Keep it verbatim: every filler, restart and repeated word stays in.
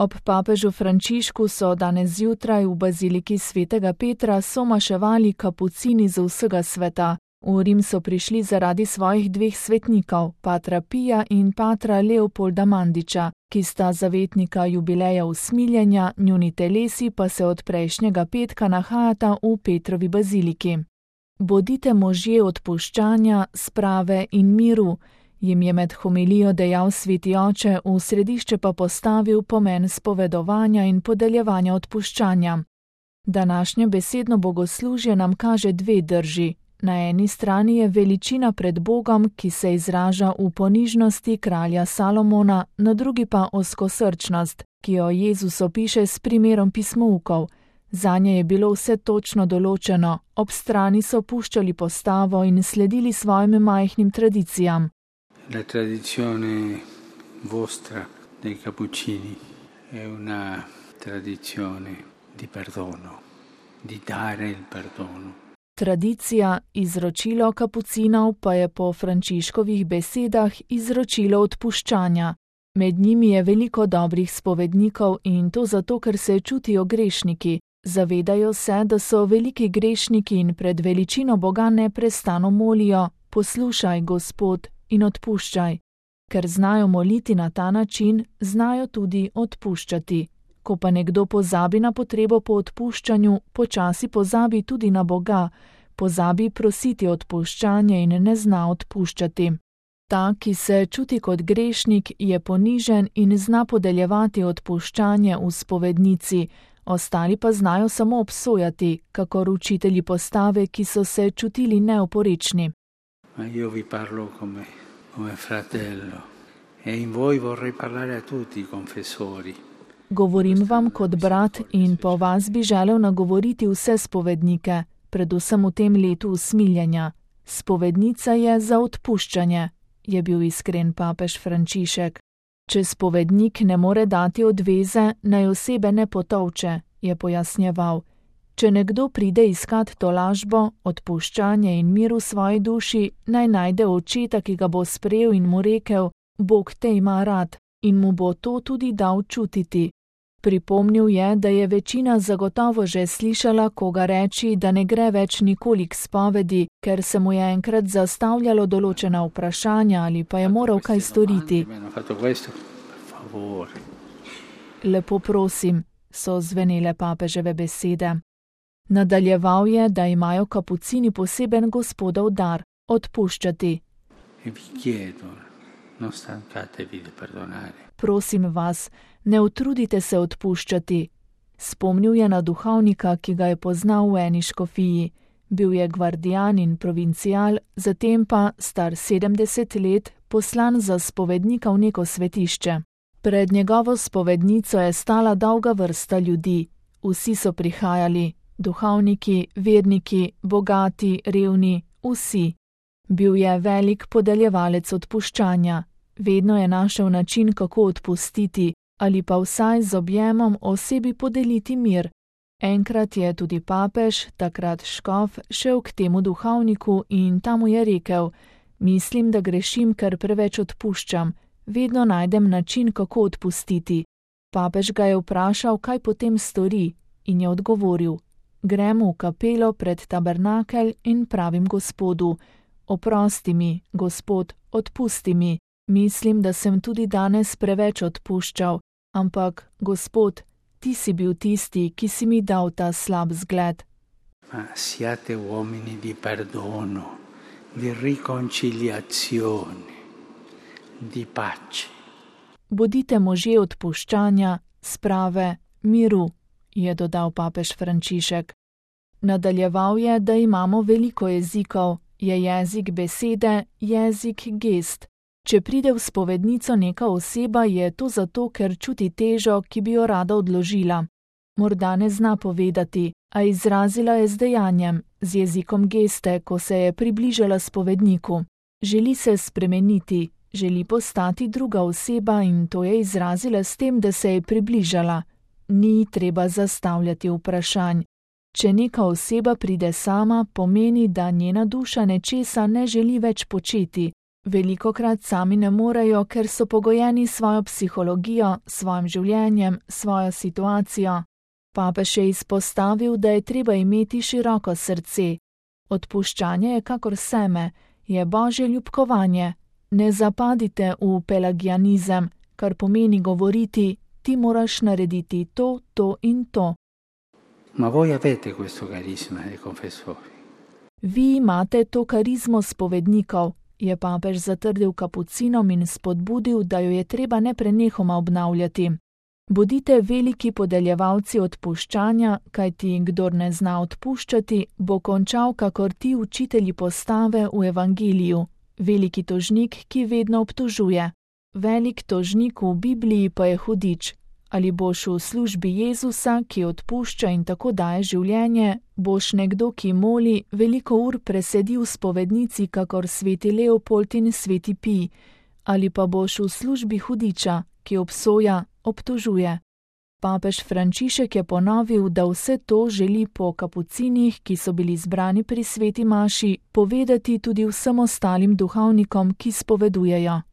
Ob papežu Frančišku so danes zjutraj v baziliki svetega Petra somaševali kapucini z vsega sveta. V Rim so prišli zaradi svojih dveh svetnikov, patra Pija in patra Leopolda Mandiča, ki sta zavetnika jubileja usmiljenja, njuni telesi pa se od prejšnjega petka nahajata v Petrovi baziliki. Bodite možje odpuščanja, sprave in miru, jim je med homilijo dejal sveti oče, v središče pa postavil pomen spovedovanja in podeljevanja odpuščanja. Današnje besedno bogoslužje nam kaže dve drži. Na eni strani je veličina pred Bogom, ki se izraža v ponižnosti kralja Salomona, na drugi pa ozkosrčnost, ki jo Jezus opiše s primerom pismoukov. Zanje je bilo vse točno določeno, ob strani so puščali postavo in sledili svojim majhnim tradicijam. La tradizione vostra dei Cappuccini è una tradizione di perdono, di dare il perdono. Tradicija, izročilo kapucinov pa je po Frančiškovih besedah izročilo odpuščanja. Med njimi je veliko dobrih spovednikov in to zato, ker se čutijo grešniki. Zavedajo se, da so veliki grešniki in pred veličino Boga neprestano molijo: poslušaj, Gospod, in odpuščaj. Ker znajo moliti na ta način, znajo tudi odpuščati. Ko pa nekdo pozabi na potrebo po odpuščanju, počasi pozabi tudi na Boga, pozabi prositi odpuščanje in ne zna odpuščati. Ta, ki se čuti kot grešnik, je ponižen in zna podeljevati odpuščanje v spovednici, ostali pa znajo samo obsojati, kakor učitelji postave, ki so se čutili neoporečni. Ma io vi parlo come, come fratello e in voi vorrei parlare a tutti i confessori. Govorim vam kot brat in po vas bi želel nagovoriti vse spovednike, predvsem v tem letu usmiljenja. Spovednica je za odpuščanje, je bil iskren papež Frančišek. Če spovednik ne more dati odveze, naj osebe ne potolče, je pojasnjeval. Če nekdo pride iskat tolažbo, odpuščanje in mir v svoji duši, naj najde očeta, ki ga bo sprejel in mu rekel: Bog te ima rad, in mu bo to tudi dal čutiti. Pripomnil je, da je večina zagotovo že slišala koga reči, da ne gre več nikoli k spovedi, ker se mu je enkrat zastavljalo določena vprašanja ali pa je moral kaj storiti. Lepo prosim, so zvenele papeževe besede. Nadaljeval je, da imajo kapucini poseben Gospodov dar – odpuščati. Prosim vas, ne utrudite se odpuščati. Spomnil je na duhovnika, ki ga je poznal v eni škofiji. Bil je gvardijan in provincial, zatem pa, star sedemdeset let, poslan za spovednika v neko svetišče. Pred njegovo spovednico je stala dolga vrsta ljudi. Vsi so prihajali, duhovniki, verniki, bogati, revni, vsi. Bil je velik podeljevalec odpuščanja. Vedno je našel način, kako odpustiti, ali pa vsaj z objemom osebi podeliti mir. Enkrat je tudi papež, takrat škof, šel k temu duhovniku in ta mu je rekel: Mislim, da grešim, ker preveč odpuščam. Vedno najdem način, kako odpustiti. Papež ga je vprašal, kaj potem stori, in je odgovoril: Grem v kapelo pred tabernakelj in pravim Gospodu: Oprosti mi, Gospod, odpusti mi. Mislim, da sem tudi danes preveč odpuščal, ampak, Gospod, ti si bil tisti, ki si mi dal ta slab zgled. Ma siate uomini di perdono, di riconciliazione, di pace. Bodite možje odpuščanja, sprave, miru, je dodal papež Frančišek. Nadaljeval je, da imamo veliko jezikov, je jezik besede, jezik gest. Če pride v spovednico neka oseba, je to zato, ker čuti težo, ki bi jo rada odložila. Morda ne zna povedati, a izrazila je z dejanjem, z jezikom geste, ko se je približala spovedniku. Želi se spremeniti, želi postati druga oseba in to je izrazila s tem, da se je približala. Ni treba zastavljati vprašanj. Če neka oseba pride sama, pomeni, da njena duša nečesa ne želi več početi. Velikokrat sami ne morejo, ker so pogojeni s svojo psihologijo, svojim življenjem, svojo situacijo. Papež je izpostavil, da je treba imeti široko srce. Odpuščanje je kakor seme, je božje ljubkovanje. Ne zapadite v pelagianizem, kar pomeni govoriti, ti moraš narediti to, to in to. Ma voi avete questo carisma dei confessori. Vi imate to karizmo spovednikov, je papež zatrdil kapucinom in spodbudil, da jo je treba neprenehoma obnavljati. Bodite veliki podeljevalci odpuščanja, kajti kdor ne zna odpuščati, bo končal kakor ti učitelji postave v evangeliju, veliki tožnik, ki vedno obtožuje. Velik tožnik v Bibliji pa je hudič. Ali boš v službi Jezusa, ki odpušča in tako daje življenje, boš nekdo, ki moli, veliko ur presedi v spovednici, kakor sveti Leopold in sveti Pij, ali pa boš v službi hudiča, ki obsoja, obtožuje. Papež Frančišek je ponovil, da vse to želi po kapucinih, ki so bili zbrani pri sveti maši, povedati tudi vsem ostalim duhovnikom, ki spovedujejo.